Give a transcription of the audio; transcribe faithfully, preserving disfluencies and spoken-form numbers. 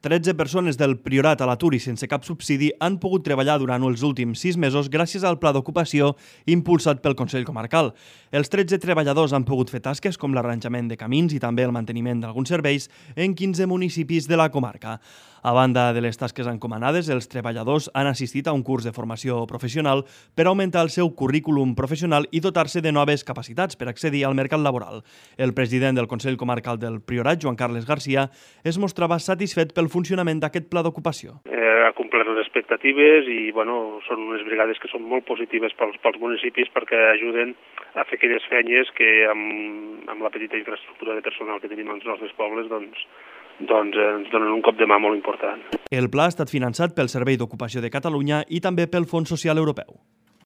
tretze persones del Priorat a l'atur i sense cap subsidi han pogut treballar durant els últims sis mesos gràcies al pla d'ocupació impulsat pel Consell Comarcal. Els tretze treballadors han pogut fer tasques com l'arranjament de camins i també el manteniment d'alguns serveis en quinze municipis de la comarca. A banda de les tasques encomanades, els treballadors han assistit a un curs de formació professional per augmentar el seu currículum professional i dotar-se de noves capacitats per accedir al mercat laboral. El president del Consell Comarcal del Priorat, Joan Carles Garcia, es mostrava satisfet pel funcionament d'aquest pla d'ocupació. Eh, ha complert les expectatives i bueno, són unes brigades que són molt positives pels, pels municipis perquè ajuden a fer aquelles feines que amb, amb la petita infraestructura de personal que tenim als nostres pobles doncs, doncs eh, ens donen un cop de mà molt important. El pla ha estat finançat pel Servei d'Ocupació de Catalunya i també pel Fons Social Europeu.